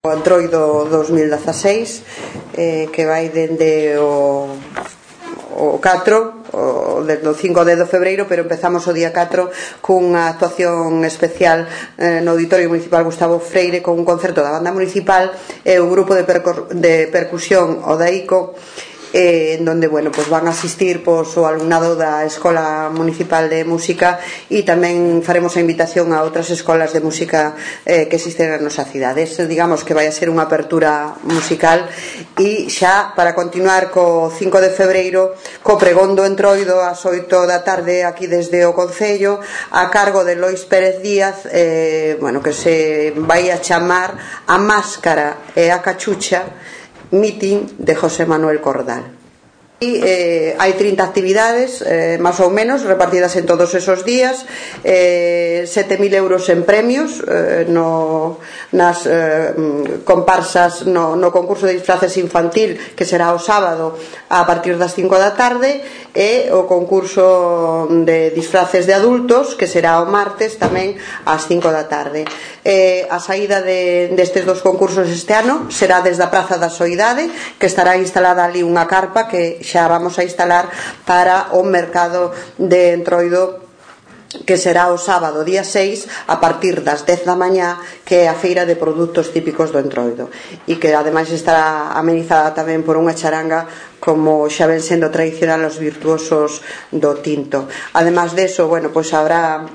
O Entroido 2016 que vai dende o 4 desde o 5 de febreiro, pero empezamos o día 4 cunha actuación especial no Auditorio Municipal Gustavo Freire, con un concerto da banda municipal e un grupo de percusión odaico, en donde pues van a asistir o alumnado da Escola Municipal de Música, e tamén faremos a invitación a outras escolas de música que existen na nosa cidade. Digamos que vai a ser unha apertura musical. E xa para continuar co 5 de febreiro, co pregón do Entroido ás 8 da tarde aquí desde o Concello, a cargo de Lois Pérez Díaz, que se vai a chamar A Máscara e a Cachucha, meeting de José Manuel Cordal. E hai 30 actividades máis ou menos repartidas en todos esos días, 7.000 euros en premios nas comparsas no concurso de disfraces infantil, que será o sábado a partir das 5 da tarde, e o concurso de disfraces de adultos, que será o martes tamén ás 5 da tarde. A saída destes dos concursos este ano será desde a Praza da Soidade, que estará instalada ali unha carpa que xa vamos a instalar para o mercado de Entroido, que será o sábado día 6 a partir das 10 da mañá, que é a feira de produtos típicos do Entroido, e que ademais estará amenizada tamén por unha charanga, como xa ven sendo tradicional os virtuosos do tinto. Ademais deso, habrá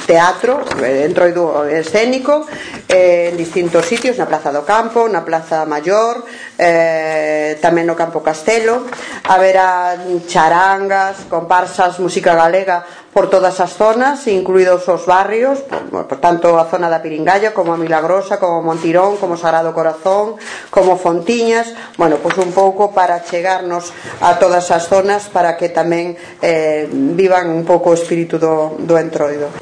teatro, Entroido escénico, en distintos sitios, na Plaza do Campo, na Plaza Maior, tamén no Campo Castelo. Haberá charangas, comparsas, música galega por todas as zonas, incluídos os barrios, por tanto a zona da Piringalla, como a Milagrosa, como Montirón, como Sagrado Corazón, como Fontiñas, un pouco para chegarnos a todas as zonas, para que tamén vivan un pouco o espírito do Entroido.